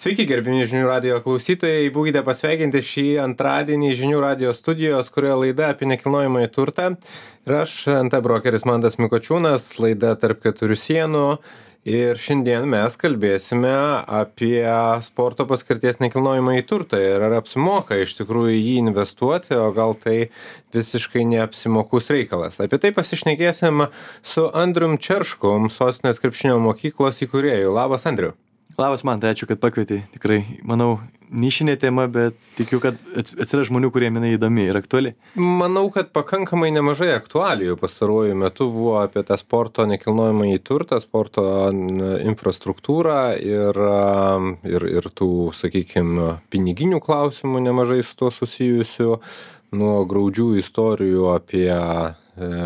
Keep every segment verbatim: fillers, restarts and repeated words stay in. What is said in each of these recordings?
Sveiki, gerbimi žinių radijo klausytojai, būkite pasveikinti šį antradienį žinių radijo studijos, kurioje laida apie nekilnojamąjį turtą. Ir aš, N T brokeris Mantas Mikočiūnas, laida Tarp keturių sienų. Ir šiandien mes kalbėsime apie sporto paskirties nekilnojamąjį turtą ir ar apsimoka iš tikrųjų jį investuoti, o gal tai visiškai neapsimokus reikalas. Apie tai pasišnekėsim su Andrium Čerškum, Sostinės krepšinio mokyklos įkūrėju. Labas, Andriu. Labas, Mantai, ačiū, kad pakvietei. Tikrai, manau, nišinė tema, bet tikiu, kad atsiras žmonių, kurie jinai įdomi ir aktuali. Manau, kad pakankamai nemažai aktualijų pastaruoju metu buvo apie tą sporto nekilnojamąjį turtą, sporto infrastruktūrą ir, ir, ir tų, sakykime, piniginių klausimų nemažai su to susijusių, nuo graudžių istorijų apie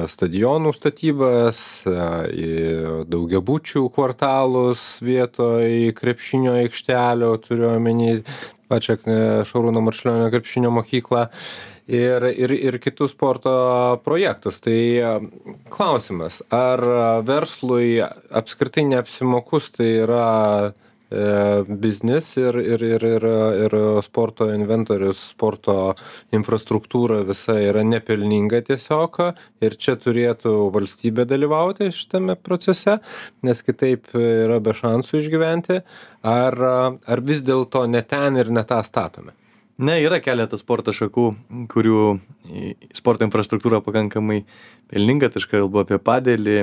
stadionų statybas, daugiabučių kvartalus vietoj krepšinio aikštelio, turiu omeny pačią Šarūno Marčiulionio krepšinio mokyklą ir, ir, ir kitus sporto projektus. Tai klausimas, ar verslui apskritai neapsimokus tai yra biznis ir, ir, ir, ir, ir sporto inventorius, sporto infrastruktūra visa yra nepelninga tiesiog ir čia turėtų valstybė dalyvauti šitame procese, nes kitaip yra be šansų išgyventi, ar, ar vis dėlto ne ten ir ne tą statome? Ne, yra keletas sporto šakų, kurių sporto infrastruktūra pakankamai pelninga, tai aš kalbu apie padelį,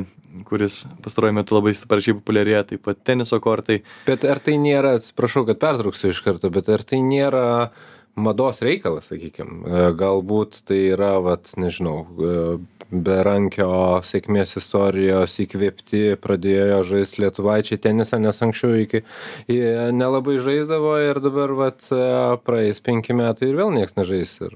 kuris pastaruoju metu labai sparčiai populiarėja, taip pat teniso kortai. Bet ar tai nėra, atsiprašau, kad pertrauksiu iš karto, bet ar tai nėra mados reikalas, sakykime, galbūt tai yra, vat, nežinau, Berankio sėkmės istorijos įkvėpti pradėjo žaisti lietuvaičiai tenisą, nes anksčiau iki nelabai žaisdavo ir dabar vat, praeis penki metai ir vėl nieks nežais. Ir...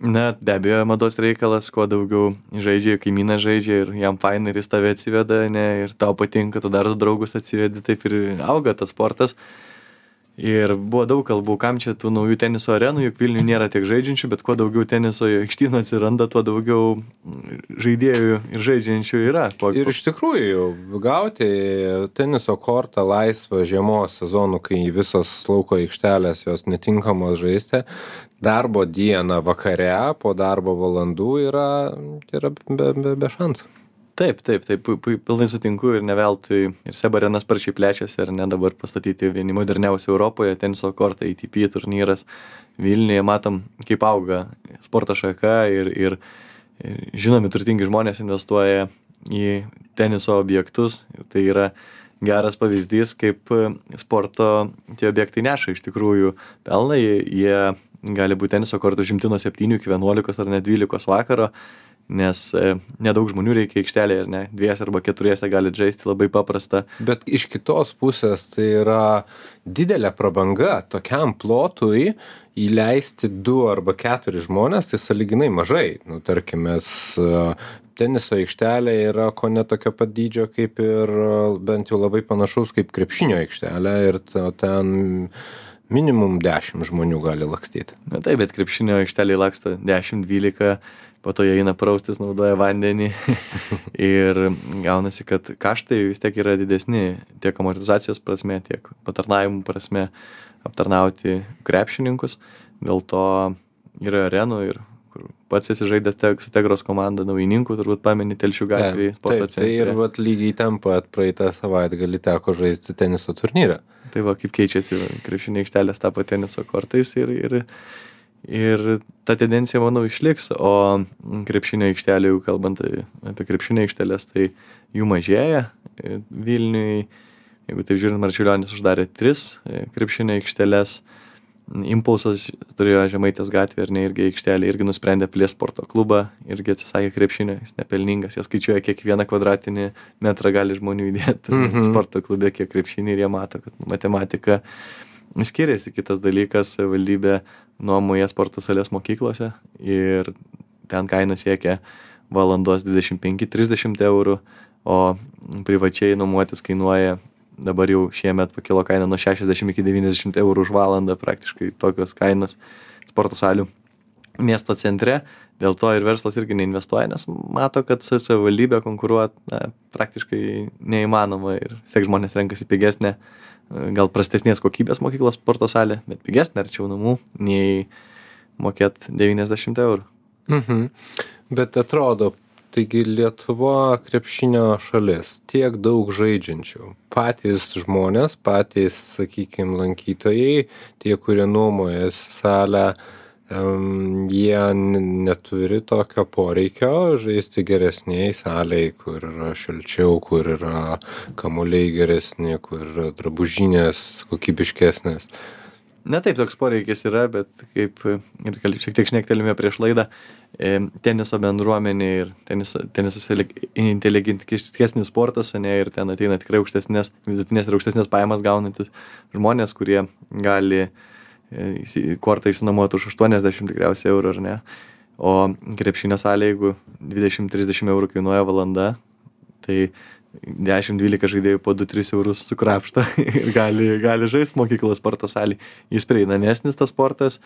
Na, be abejo, mados reikalas, kuo daugiau žaidžia, kaimynas žaidžia ir jam faina ir jis tave atsiveda, ne, ir tau patinka, tu dar du draugus atsivedi, taip ir auga tas sportas. Ir buvo daug kalbų, kam čia tų naujų teniso arenų, juk Vilniuje nėra tiek žaidžiančių, bet kuo daugiau teniso aikštynų atsiranda, tuo daugiau žaidėjų ir žaidžiančių yra. Po... Ir iš tikrųjų, gauti teniso kortą laisvą žiemos sezonų, kai visos lauko aikštelės jos netinkamos žaisti, darbo dieną vakare po darbo valandų yra, yra be, be, be šansų. Taip, taip, taip, pilnai sutinku ir ne veltui ir SEB arena sparčiai plečiasi, ar ne dabar pastatyti vieni moderniausių Europoje, teniso kortai, A T P turnyras Vilniuje, matom, kaip auga sporto šaka ir, ir, ir žinomi turtingi žmonės investuoja į teniso objektus, tai yra geras pavyzdys, kaip sporto tie objektai neša iš tikrųjų pelną, jie gali būti teniso kortų užimti nuo septynių iki vienuolikos ar net dvylikos vakaro, nes e, nedaug žmonių reikia aikštelėje, ar ne, dviese arba keturiese gali žaisti, labai paprasta. Bet iš kitos pusės tai yra didelė prabanga tokiam plotui įleisti du arba keturi žmonės, tai sąlyginai mažai. Nu, tarkim, mes teniso aikštelė yra ko ne tokio pat dydžio kaip ir bent jau labai panašaus kaip krepšinio aikštelė ir ten minimum dešimt žmonių gali lakstyti. Na taip, bet krepšinio aikštelėje laksto dešimt dvylika, po to jie eina praustis, naudoja vandenį ir gaunasi, kad kaštai vis tiek yra didesni tiek amortizacijos prasme, tiek patarnavimų prasme aptarnauti krepšininkus. Dėl to yra arenų ir kur pats esi žaidęs su Tegros komanda naujininkų, turbūt pameni Telšių gatvėje sporto centre. Tai ir vat, lygiai ten pat praeitą savaitgalį teko žaisti teniso turnyrą. Tai va, kaip keičiasi krepšinio aikštelės tapo teniso kortais ir, ir Ir ta tendencija, manau, išliks, o krepšinio aikštelių, kalbant apie krepšinio aikštelės, tai jų mažėja Vilniui. Jeigu taip žiūrint, Marčiulionis uždarė tris krepšinio aikštelės, Impulsas turėjo Žemaitės gatvę ir ne irgi aikštelė, irgi nusprendė plėsti sporto klubą, irgi atsisakė krepšinio, jis nepelningas, jie skaičiuoja, kiek vieną kvadratinį metrą gali žmonių įdėti mm-hmm. sporto klube, kiek krepšinį ir jie mato, kad matematika skiriasi. Kitas dalykas, valdybė nuomoja sporto salės mokyklose ir ten kaina siekia valandos dvidešimt penki trisdešimt eurų, o privačiai nuomotis kainuoja, dabar jau šiemet pakilo kaina nuo šešiasdešimt iki devyniasdešimt eurų už valandą, praktiškai tokios kainos sporto salių miesto centre. Dėl to ir verslas irgi neinvestuoja, nes mato, kad savivaldybė konkuruot na, praktiškai neįmanoma ir vis tiek žmonės renkasi pigesnę gal prastesnės kokybės mokyklos sporto salė, bet pigesnė arčiau namų, nei mokėt devyniasdešimt eurų. Mhm. Bet atrodo, taigi Lietuva krepšinio šalis, tiek daug žaidžiančių. Patys žmonės, patys, sakykime, lankytojai, tie, kurie nuomojasi salę, um, jie neturi tokio poreikio žaisti geresniai salėj, kur yra šilčiau, kur yra kamuoliai geresni, kur yra drabužinės kokybiškesnės. Ne taip toks poreikis yra, bet kaip ir šiek tiek šnektelime prieš laidą, teniso bendruomenė ir tenisas, tenisas inteligentiškesnis sportas, ne, ir ten ateina tikrai aukštesnės, vidutinės ir aukštesnės pajamas gaunantis žmonės, kurie gali kortą išsinuomoti už aštuoniasdešimt tikriausiai eurų, ar ne. O krepšinio salė, jeigu dvidešimt trisdešimt eurų kainuoja valanda, tai dešimt dvylika žaidėjų po du tris eurus sukrapšta ir gali, gali žaisti mokyklos sporto salį. Jis prieinamesnis tas sportas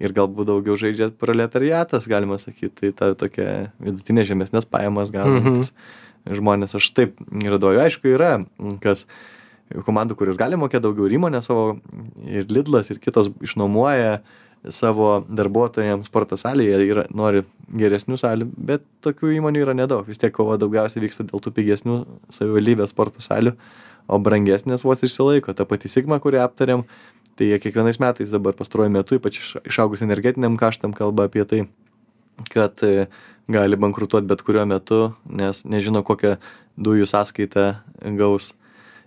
ir galbūt daugiau žaidžia proletariatas, galima sakyti. Tai ta tokia vidutinė žemesnės pajamas gaunantis mm-hmm. žmonės. Aš taip radoju. Aišku, yra kas komandų, kurios gali mokėti daugiau, ir įmonė savo, ir Lidlas, ir kitos išnuomoja savo darbuotojams sporto salėje ir nori geresnių salių, bet tokių įmonių yra nedaug. Vis tiek kova daugiausiai vyksta dėl tų pigesnių savivaldybės sporto salių, o brangesnės vos išsilaiko. Ta pati Sigma, kurią aptarėm, tai jie kiekvienais metais dabar pastaruoju metu, ypač išaugus energetiniam kaštam, kalba apie tai, kad gali bankrutuoti bet kuriuo metu, nes nežino, kokią dujų sąskaitą gaus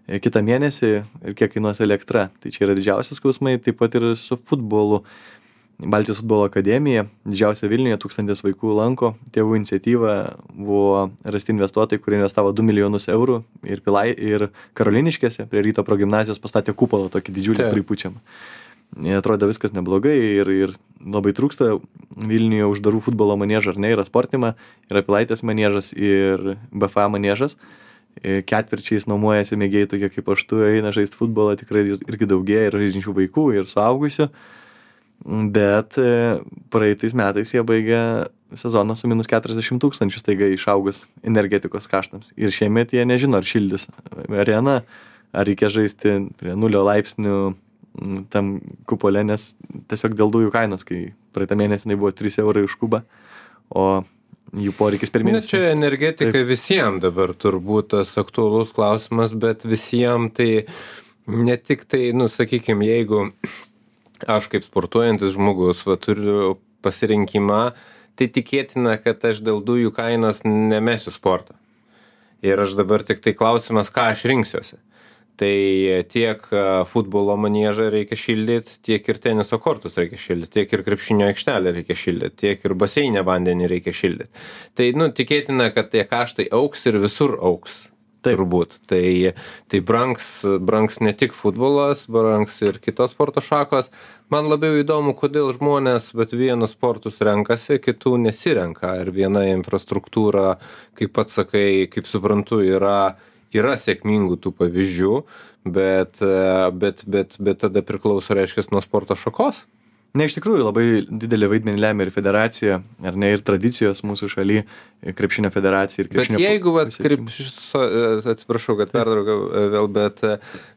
kitą mėnesį ir kiek kainuos elektra. Tai čia yra didžiausias skausmai, taip pat ir su futbolu. Baltijos futbolo akademija, didžiausia Vilniuje, tūkstantis vaikų lanko. Tėvų iniciatyva buvo rasti investuotojai, kurie investavo du milijonus eurų ir, Pilai, ir Karoliniškėse prie Ryto progimnazijos pastatė kupolą tokį didžiulį pripučiamą. Atrodo viskas neblogai ir, ir labai trūksta Vilniuje uždarų futbolo maniežą, ar ne, yra Sportima, yra Pilaitės maniežas ir B F A maniežas. Ketvirčiais nuomojasi mėgėjai tokie kaip aš tu, eina žaisti futbolą, tikrai irgi daugėja ir žaidžiančių vaikų, ir suaugusių. Bet praeitais metais jie baigė sezoną su minus keturiasdešimt tūkstančių staiga išaugus energetikos kaštams. Ir šiemet jie nežino, ar šildys areną, ar reikia žaisti prie nulio laipsnių tam kupole, nes tiesiog dėl dujų kainos, kai praeitą mėnesį buvo trys eurai už kubą, o jų poreikis per mėnesį. Na, čia energetika Taip. Visiems dabar turbūt tas aktualus klausimas, bet visiems tai ne tik tai, nu, sakykime, jeigu aš kaip sportuojantis žmogus va, turiu pasirinkimą, tai tikėtina, kad aš dėl dujų kainos nemesiu sportą. Ir aš dabar tik tai klausimas, ką aš rinksiuosi. Tai tiek futbolo maniežą reikia šildyti, tiek ir teniso kortus reikia šildyti, tiek ir krepšinio aikštelę reikia šildyti, tiek ir baseinę vandenį reikia šildyti. Tai, nu, tikėtina, kad tie kaštai auks ir visur auks. Taip. Turbūt. Tai, tai brangs, brangs ne tik futbolas, brangs ir kitos sporto šakos. Man labiau įdomu, kodėl žmonės, bet vienus sportus renkasi, kitų nesirenka. Ir viena infrastruktūra, kaip pats sakai, kaip suprantu, yra, yra sėkmingų tų pavyzdžių, bet, bet, bet, bet tada priklauso, reiškia, nuo sporto šakos. Ne, iš tikrųjų labai didelį vaidmenį lemia ir federacija, ar ne, ir tradicijos mūsų šaly, krepšinio federacija ir krepšinio... Bet jeigu, vat, krepšis, atsiprašau, kad perdraugau vėl, bet,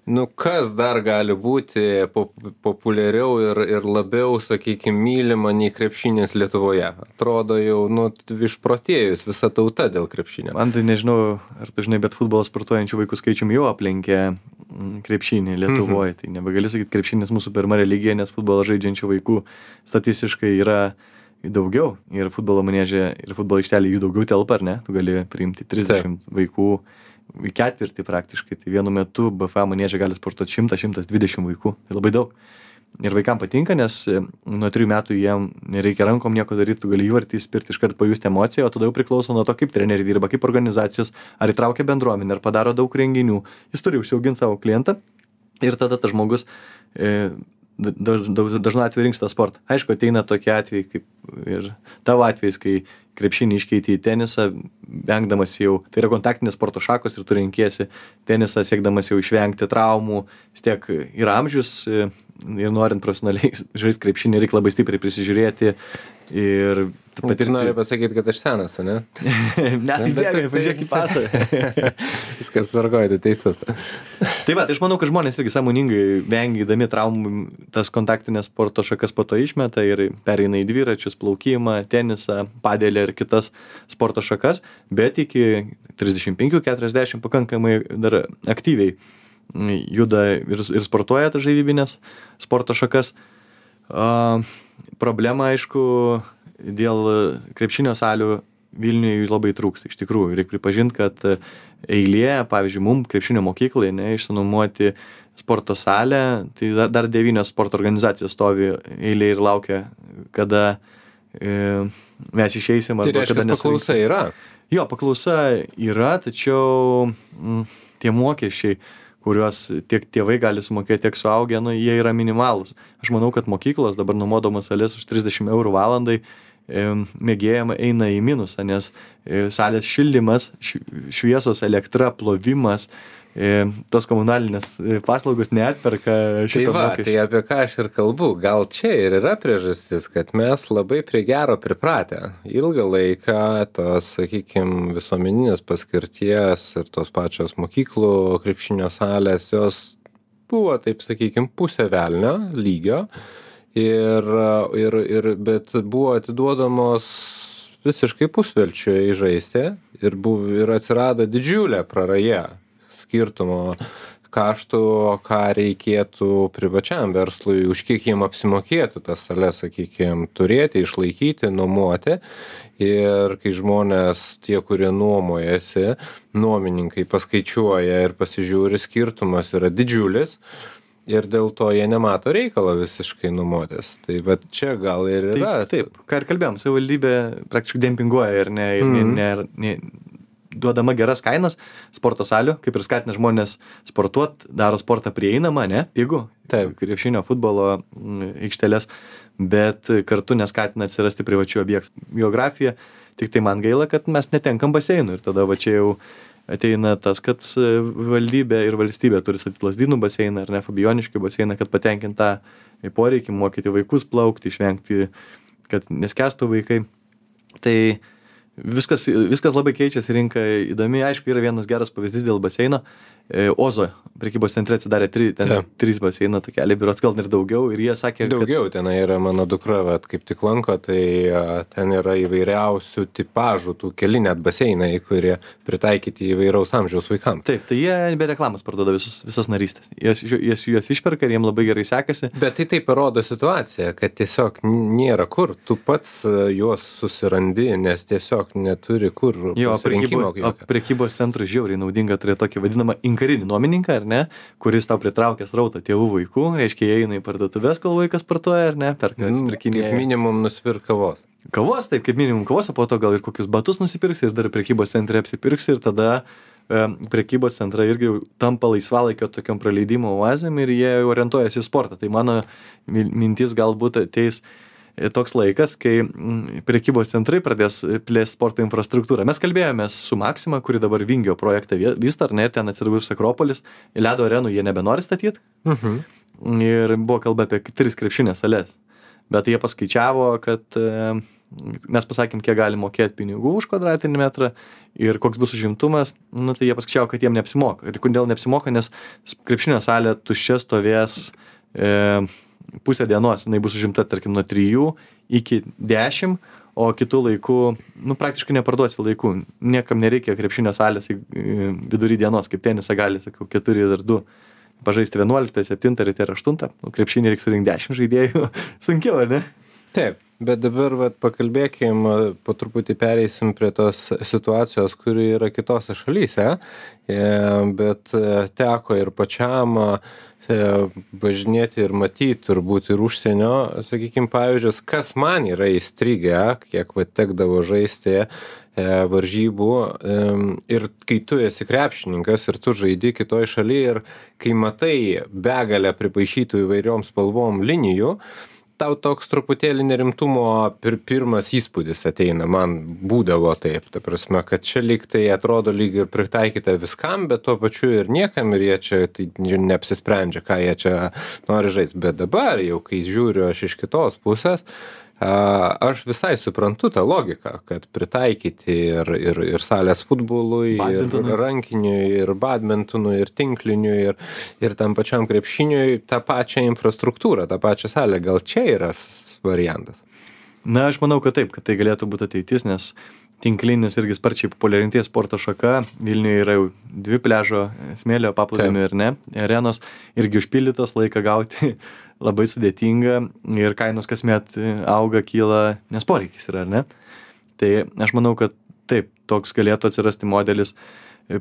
nu, kas dar gali būti populiariau ir, ir labiau, sakykime, mylima nei krepšinis Lietuvoje? Atrodo jau, nu, išprotėjus visa tauta dėl krepšinio. Man tai nežinau, ar tu žinai, bet futbolo sportuojančių vaikų skaičium jau aplenkė krepšinį Lietuvoje. Mm-hmm. Tai nebegali sakyti, krepšinis mūsų pirma religija, nes futbolo žaidžiančių vaikų statistiškai yra daugiau. Ir futbolo manieže, ir futbolo aikštelė jų daugiau telpa, ar ne? Tu gali priimti trisdešimt Taip. Vaikų į ketvirtį praktiškai. Tai vienu metu B F A manieže gali sportuoti šimtas šimtas dvidešimt vaikų. Tai labai daug. Ir vaikams patinka, nes nuo trijų metų jiem nereikia rankom nieko daryti, tu gali įvartį įspirti, iškart pajusti emociją, o tada jau priklauso nuo to, kaip treneriai dirba, kaip organizacijos, ar įtraukia bendruomenę, ar padaro daug renginių. Jis turi užsiauginti savo klientą ir tada tas žmogus e, daž, daž, dažnu atveju rinks tą sportą. Aišku, ateina tokie atvejai, kaip ir tavo atvejais, kai krepšinį iškeiti į tenisą, vengdamas jau, tai yra kontaktinės sporto šakos ir tu renkiesi tenisą, siekdamas jau išvengti traumų, vis tiek yra amžius ir norint profesionaliai žaisti krepšinį, reikia labai stipriai prisižiūrėti ir Tu nori pasakyti, kad aš senas, ne? Ne, tai bėgai, pažiūrėk į pasą. Viskas tvarkoja, tai teisus. Tai va, tai aš manau, kad žmonės irgi sąmoningai vengydami traumų tas kontaktinės sporto šakas po to išmeta ir pereina į dviračius, plaukimą, tenisą, padelį ir kitas sporto šakas, bet iki trisdešimt penkių keturiasdešimt pakankamai dar aktyviai juda ir, ir sportuoja tas žaidybinės sporto šakas. Uh, problema, aišku, dėl krepšinio salių Vilniuje jų labai trūksta, iš tikrųjų. Reikia pripažinti, kad eilė, pavyzdžiui, mum krepšinio mokyklai, ne, išsinuomoti sporto salę, tai dar, dar devynios sporto organizacijos stovi eilė ir laukia, kada e, mes išeisim. Tai reiškia, kad paklausa yra? Jo, paklausa yra, tačiau m, tie mokesčiai, kuriuos tiek tėvai gali sumokėti, tiek suaugę, nu, jie yra minimalūs. Aš manau, kad mokyklos dabar nuomodamas sales už trisdešimt eurų valandai mėgėjama eina į minusą, nes salės šildymas, šviesos, elektra, plovimas, tas komunalinės paslaugos neatperka šito tai va, mokesčio. Tai apie ką aš ir kalbu, gal čia ir yra priežastis, kad mes labai prie gero pripratę. Ilgą laiką tos, sakykime, visuomeninės paskirties ir tos pačios mokyklų krepšinio salės, jos buvo, taip sakykime, pusė velnio lygio. Ir, ir, ir, bet buvo atiduodamos visiškai pusvelčiui žaisti ir, buvo, ir atsirado didžiulė praraja skirtumo kaštų, ką reikėtų privačiam verslui, už kiek jiem apsimokėtų tas sales, sakykime, turėti, išlaikyti, nuomoti. Ir kai žmonės, tie, kurie nuomojasi, nuomininkai paskaičiuoja ir pasižiūri, skirtumas yra didžiulis. Ir dėl to jie nemato reikalo visiškai nuomotis. Tai va čia gal ir yra. Taip, taip. Ką ir kalbėjom, savivaldybė praktiškai dempinguoja ir ne, ir ne, ne, ne, duodama geras kainas sporto salių, kaip ir skatina žmonės sportuot, daro sportą prieinamą, ne, pigų, taip, krepšinio, futbolo aikštelės, bet kartu neskatina atsirasti privačių objektų. Geografija, tik tai man gaila, kad mes netenkam baseinų ir tada va čia jau ateina tas, kad valdybė ir valstybė turi statyti Lazdynų baseiną ar ne Fabijoniškių baseiną, kad patenkintą poreikį mokyti vaikus plaukti, išvengti, kad neskęstų vaikai. Tai viskas, viskas labai keičiasi, rinka įdomi. Aišku, yra vienas geras pavyzdys dėl baseino. Ozo prekybos centre atsidarė tri, ten ja. trys baseino takeliai, biuros gal ir daugiau. Ir jie sakė, daugiau, kad... ten yra mano dukra, vat, kaip tik lanko, tai ten yra įvairiausių tipažų, tų keli net baseinai, kurie pritaikyti įvairaus amžiaus vaikams. Taip, tai jie be reklamos parduoda visus, visas narystės. Jas, jas, jas išperka ir jiem labai gerai sekasi. Bet tai taip parodo situaciją, kad tiesiog nėra kur. Tu pats juos susirandi, nes tiesiog neturi kur jo, pasirinkimo. O prekybos centrui žiauriai naudinga turėti tokį vadinamą inkarinį nuomininką, ar ne, kuris tau pritraukė srautą tėvų vaikų, reiškia, jie eina į parduotuvės, kol vaikas sportuoja, ar ne, perka, atsipirkinėja. Kaip minimum nusipirk kavos. Kavos, taip, kaip minimum kavos, o po to gal ir kokius batus nusipirks ir dar prekybos centre apsipirks ir tada e, prekybos centrai irgi tampa laisvalaikio tokiam praleidimo oazėm ir jie orientuojasi į sportą. Tai mano mintis galbūt ateis toks laikas, kai prekybos centrai pradės plėsti sporto infrastruktūrą. Mes kalbėjomės su Maxima, kuri dabar Vingio projektą vysto, ar ne, ten atsiradus Akropolis, ledo arenų jie nebenori statyti. Mhm. Ir buvo kalba apie tris krepšinės sales. Bet jie paskaičiavo, kad e, mes pasakėm, kiek gali mokėti pinigų už kvadratinį metrą ir koks bus užimtumas, nu, tai jie paskaičiavo, kad jiem neapsimoka. Ir kodėl neapsimoka, nes krepšinio salė tuščia stovės e, pusę dienos, jinai bus užimta, tarkim, nuo trijų iki dešimt, o kitų laikų, nu, praktiškai neparduosi laikų. Niekam nereikia krepšinio salės vidury dienos, kaip tenisą gali, sakau, keturi ir du. Pažaisti vienuoliktą, septintą, ryte ir aštuntą. Nu, krepšinį reikia surinkti dešimt žaidėjų. Sunkiau, ar ne? Taip, bet dabar vat, pakalbėkim, po truputį pereisim prie tos situacijos, kuri yra kitose šalyse, bet teko ir pačiam važinėti ir matyti turbūt ir užsienio, sakykime, pavyzdžius, kas man yra įstrigę, kiek va, tekdavo žaisti e, varžybų e, ir kai tu esi krepšininkas ir tu žaidi kitoj šalyje ir kai matai begalę pripaišytų įvairiom spalvom linijų, tau toks truputėlį nerimtumo pir, pirmas įspūdis ateina, man būdavo taip, ta prasme, kad čia lyg tai atrodo lyg ir pritaikyta viskam, bet tuo pačiu ir niekam ir jie čia tai neapsisprendžia, ką jie čia nori žaisti. Bet dabar jau, kai žiūriu aš iš kitos pusės, Aš visai suprantu tą logiką, kad pritaikyti ir, ir, ir salės futbolui, ir rankiniui, ir badmintonui, ir tinkliniui, ir, ir tam pačiam krepšiniui tą pačią infrastruktūrą, tą pačią salę. Gal čia yra variantas? Na, aš manau, kad taip, kad tai galėtų būti ateitis, nes tinklinis irgi sparčiai populiarintės sporto šaka. Vilniuje yra jau dvi pliažo smėlio paplūdimio ir ne. Arenos irgi užpildytos, laiką gauti labai sudėtinga ir kainos kasmet auga, kyla, nes poreikis yra, ar ne? Tai aš manau, kad taip, toks galėtų atsirasti modelis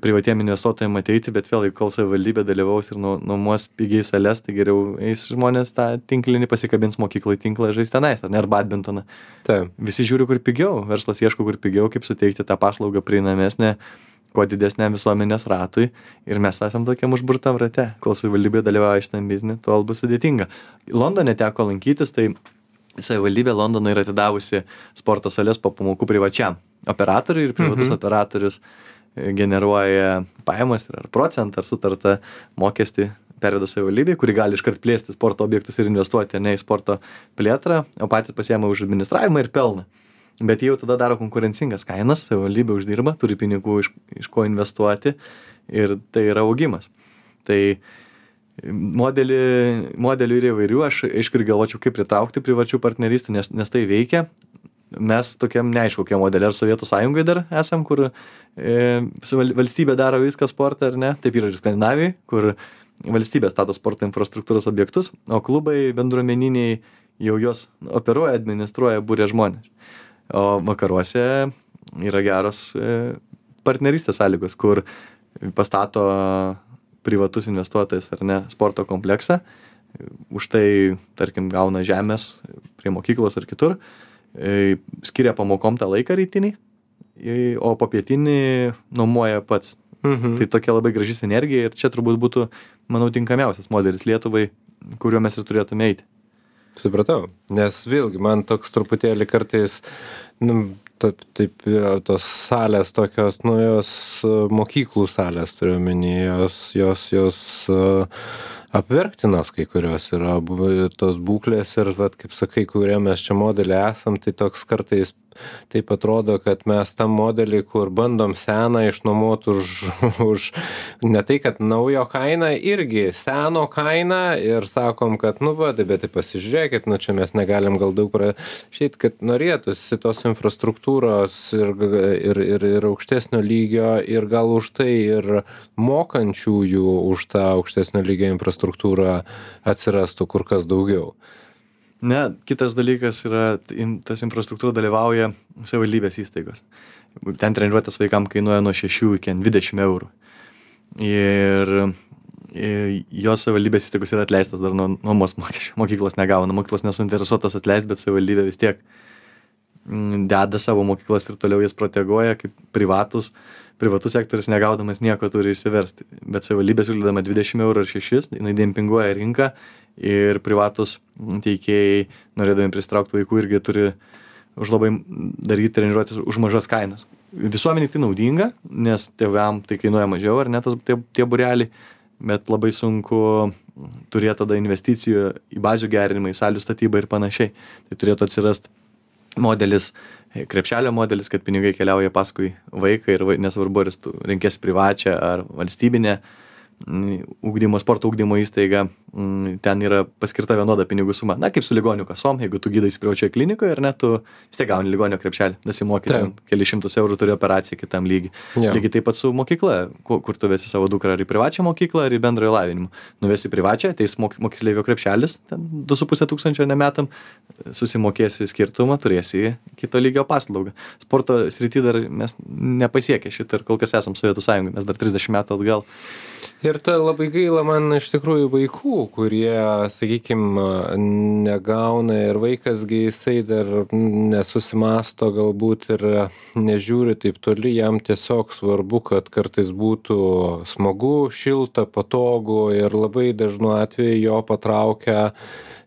privatiem investuotojam ateiti, bet vėl, kol savivaldybė dalyvaus ir nuomos pigiai sales, tai geriau eis žmonės tą tinklinį, pasikabins mokyklai tinklą, žais tenais, ar ne, ar badmintoną. Taip. Visi žiūri, kur pigiau, verslas ieško, kur pigiau, kaip suteikti tą paslaugą prieinamesnę, kuo didesnė visuomenės ratui, ir mes esam tokiam užburtam rate, kol savivaldybė dalyvauja šitam biznį, tol bus sudėtinga. Londone teko lankytis, tai savivaldybė Londono yra atidavusi sporto sales po pamokų privačiam operatoriui, ir privatus mhm. operatorius generuoja pajamas ir ar procentą, ar sutartą mokestį perveda savivaldybei, kuri gali iškart plėsti sporto objektus ir investuoti, ne į sporto plėtrą, o patys pasiema už administravimą ir pelną. Bet jie jau tada daro konkurencingas kainas, savivaldybė uždirba, turi pinigų iš, iš ko investuoti, ir tai yra augimas. Tai modelį, modelių yra įvairių, aš aišku ir galvočiau, kaip pritraukti privačių partnerystų, nes, nes tai veikia. Mes tokiam neaišku, kokie modeliai, ar Sovietų sąjungai dar esam, kur e, valstybė daro viską sportą, ar ne, taip yra ir Skandinavijai, kur valstybė stato sporto infrastruktūros objektus, o klubai bendruomeniniai jau jos operuoja, administruoja, būrė žmonės. O vakaruose yra geros e, partnerystės sąlygos, kur pastato privatus investuotojas, ar ne, sporto kompleksą, už tai, tarkim, gauna žemės prie mokyklos ar kitur, skiria pamokom tą laiką rytinį, o popietinį nuomoja pats. Mhm. Tai tokia labai graži sinergija, ir čia turbūt būtų, manau, tinkamiausias modelis Lietuvai, kuriuo mes ir turėtume eiti. Supratau, nes vėlgi man toks truputėlį kartais, nu, taip, taip, tos salės tokios, nu, jos mokyklų salės turiu omeny, jos, jos, jos apverktinos kai kurios yra tos būklės, ir, vat, kaip sakai, kurie mes čia modelį esam, tai toks kartais taip atrodo, kad mes tam modelį, kur bandom seną išnuomoti už, už ne tai, kad naujo kainą, irgi seno kainą, ir sakom, kad, nu, va, bet tai pasižiūrėkit, nu, čia mes negalim gal daug prašyti, kad norėtųsi tos infrastruktūros ir, ir, ir, ir aukštesnio lygio, ir gal už tai ir mokančiųjų už tą aukštesnio lygio infrastruktūrą atsirastų kur kas daugiau. Ne, kitas dalykas yra, tas infrastruktūra dalyvauja savivaldybės įstaigos. Ten treniruotės vaikams kainuoja nuo šešių iki dvidešimt eurų. Ir jos savivaldybės įstaigos yra atleistos dar nuo nuomos mokesčių. Mokyklos negauna, mokyklos nesuinteresuotas atleisti, bet savivaldybė vis tiek deda savo mokyklas ir toliau jas proteguoja, kaip privatus. Privatus sektorius negaudamas nieko turi išsiversti. Bet savivaldybė siūlydama dvidešimt eurų ar šešis, jinai dempinguoja rinką, ir privatus teikėjai, norėdami pristraukti vaikų, irgi turi už labai daryti treniruotis už mažas kainas. Visuomeniai tai naudinga, nes tėvam tai kainuoja mažiau, ar ne, tas, tie, tie būreliai, bet labai sunku turėti tada investicijų į bazių gerinimą, į salių statybą ir panašiai. Tai turėtų atsirasti modelis, krepšelio modelis, kad pinigai keliauja paskui vaiką, ir nesvarbu, ar tu renkėsi privačią ar valstybinę ugdymo, sporto ugdymo įstaiga, ten yra paskirta vienoda pinigų suma. Na, kaip su ligonių kasom, jeigu tu gydaisi privačioje klinikoje, ar ne, tu vis tiek gauni ligonio krepšelį, dasimoki keli šimtus eurų, turi operaciją kitam lygiai. Ja. Lygiai taip pat su mokykla, kur tu vesi savo dukrą, ar į privačią mokyklą, ar į bendrojo lavinimą. Nuvesi privačią, ateis moksleivio krepšelis, ten du su puse tūkstančio nemetam, susimokėsi skirtumą, turėsi kito lygio paslaugą. Sporto srity dar mes nepasiekė šitą, ir kol kas esam Sovietų sąjungai, mes dar trisdešimt metų atgal. Ir tai labai gaila man iš tikrųjų vaikų, kurie, sakykime, negauna, ir vaikasgi jisai dar nesusimasto galbūt ir nežiūri taip toli, jam tiesiog svarbu, kad kartais būtų smagu, šilta, patogu, ir labai dažnu atveju jo patraukia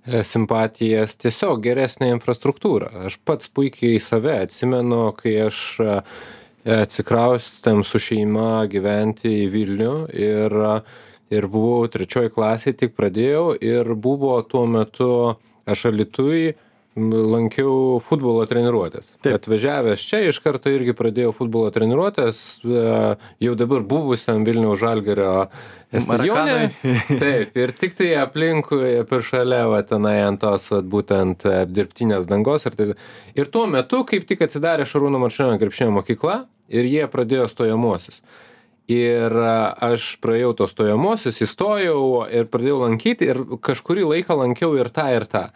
simpatijas tiesiog geresnė infrastruktūra. Aš pats puikiai save atsimenu, kai aš atsikraustėm su šeima gyventi į Vilnių, ir, ir buvau trečioj klasėj, tik pradėjau, ir buvo tuo metu aš Alytuj lankiau futbolo treniruotės. Taip. Atvažiavęs čia iš karto irgi pradėjau futbolo treniruotės, jau dabar buvusiam Vilniaus Žalgirio stadione. Taip, ir tik tai aplinkui per šalia, va, tenai ant tos, va, būtent dirbtinės dangos. Ir, tai, ir tuo metu, kaip tik atsidarė Šarūno Marčiulionio krepšinio mokykla ir jie pradėjo stojamuosius. Ir aš praėjau tos stojamosius, įstojau ir pradėjau lankyti ir kažkurį laiką lankiau ir tą, ir tą.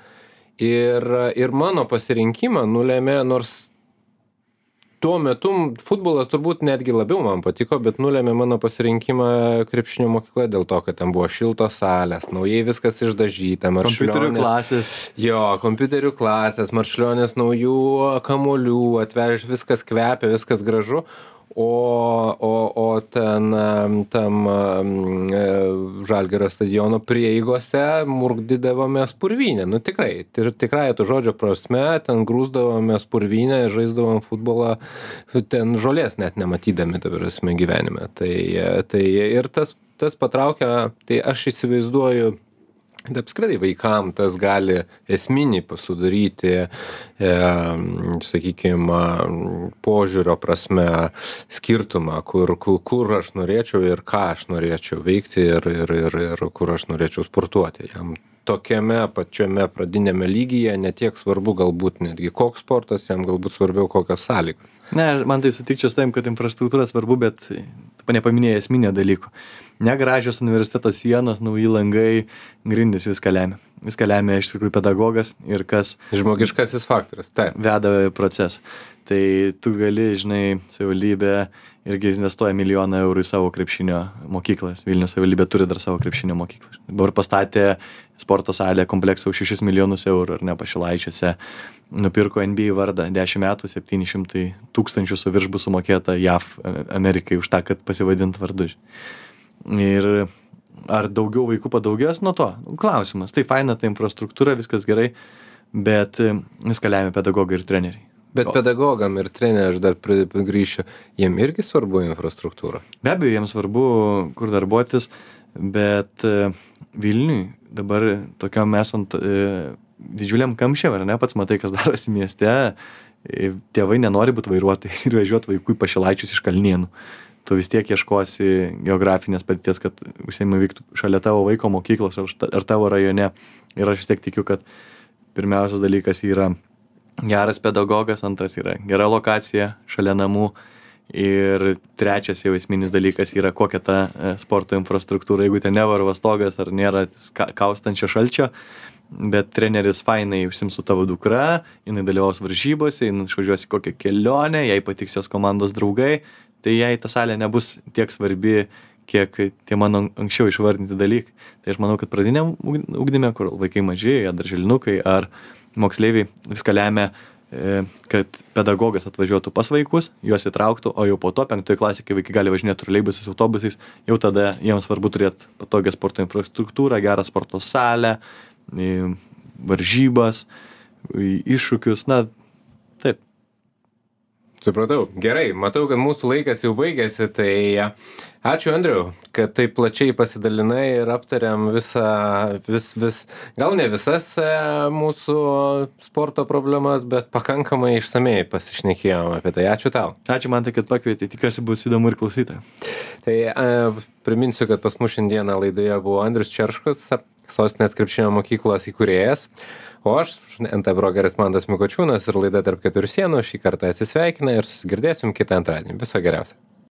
Ir, ir mano pasirinkimą nulėmė, nors tuo metu futbolas turbūt netgi labiau man patiko, bet nulėmė mano pasirinkimą krepšinio mokykla dėl to, kad ten buvo šiltos salės, naujai viskas išdažyta, kompiuterių klasės. Jo, kompiuterių klasės, Marčiulionis naujų kamuolių, atvežė, viskas kvepia, viskas gražu. O, o, o ten tam Žalgirio stadiono prieigose murkdydavomės purvynę. Nu tikrai, tikrai to žodžio prasme, ten grūsdavomės purvynę, žaisdavom futbolą, ten žolės net nematydami, ta prasme, gyvenime. Tai, tai ir tas, tas patraukia, tai aš įsivaizduoju, kad apskritai vaikam tas gali esminį pasudaryti, e, sakykime, požiūrio prasme skirtumą, kur, kur, kur aš norėčiau ir ką aš norėčiau veikti ir, ir, ir, ir kur aš norėčiau sportuoti. Jam tokiame pačiame pradinėme lygyje netiek svarbu galbūt netgi koks sportas, jam galbūt svarbiau kokios sąlygos. Ne, man tai sutikčiau su tavim, kad infrastruktūra svarbu, bet tu nepaminėjai esminio dalyko. Negražios universiteto sienos, nauji langai, grindys viską lemia. Viską lemia iš tikrųjų pedagogas ir kas žmogiškasis faktorius, taip, veda procesą. Tai tu gali, žinai, savivaldybė irgi investuoja milijoną eurų į savo krepšinio mokyklas. Vilniaus savivaldybė turi dar savo krepšinio mokyklą. Dabar pastatė sporto salę kompleksą už šešis milijonus eurų, ar ne, Pašilaičiuose. Nupirko N B A vardą, dešimt metų, septyni šimtai tūkstančių su virš bus sumokėta J A V Amerikai už tą, kad pasivadint vardu. Ir ar daugiau vaikų padaugės nuo to? Klausimas. Tai faina, ta infrastruktūra, viskas gerai, bet viską lemia pedagogai ir treneriai. Bet pedagogam ir treneriai, aš dar grįšiu, jiem irgi svarbu infrastruktūra. Be abejo, jiems svarbu, kur darbuotis, bet Vilniui dabar tokiam esant didžiuliam kamščiam, ar ne, pats matai, kas darosi mieste, tėvai nenori būti vairuotojais ir vežiuoti vaikų į Pašilaičius iš Kalnėnų. Tu vis tiek ieškosi geografinės patirties, kad užsiėmimai vyktų šalia tavo vaiko mokyklos ar tavo rajone. Ir aš vis tiek tikiu, kad pirmiausias dalykas yra geras pedagogas, antras yra gera lokacija šalia namų ir trečias jau esminis dalykas yra kokia ta sporto infrastruktūra. Jeigu ten nevarva stogas ar nėra kaustančio šalčio, bet treneris fainai užsiims su tavo dukra, jinai dalyvaus varžybose, jinai išvažiuos į kokią kelionę, jai patiks jos komandos draugai, tai jai ta salė nebus tiek svarbi, kiek tie mano anksčiau išvardinti dalykai. Tai aš manau, kad pradiniam ugdyme, kur vaikai maži, ar darželinukai, ar moksleiviai, viską lemia, kad pedagogas atvažiuotų pas vaikus, juos įtrauktų, o jau po to penktoje klasėje, kai vaikai gali važinėti troleibusais, autobusais, jau tada jiems svarbu turėti patogią sporto infrastruktūrą, gerą sporto salę, varžybas, iššūkius, na, taip. Supratau. Gerai, matau, kad mūsų laikas jau baigėsi, tai ačiū, Andriau, kad taip plačiai pasidalinai ir aptariam visą, vis, vis, gal ne visas mūsų sporto problemas, bet pakankamai išsamei pasišnekėjom apie tai. Ačiū tau. Ačiū man tai, kad pakvietei, tikiuosi bus įdomu ir klausytojai. Tai a, priminsiu, kad pas mus šiandieną laidoje buvo Andrius Čerškus, Sostinės krepšinio mokyklos įkūrėjas. O aš, N T brokeris Mantas Mikočiūnas ir laida Tarp keturių sienų šį kartą atsisveikina ir susigirdėsim kitą antradienį. Viso geriausio.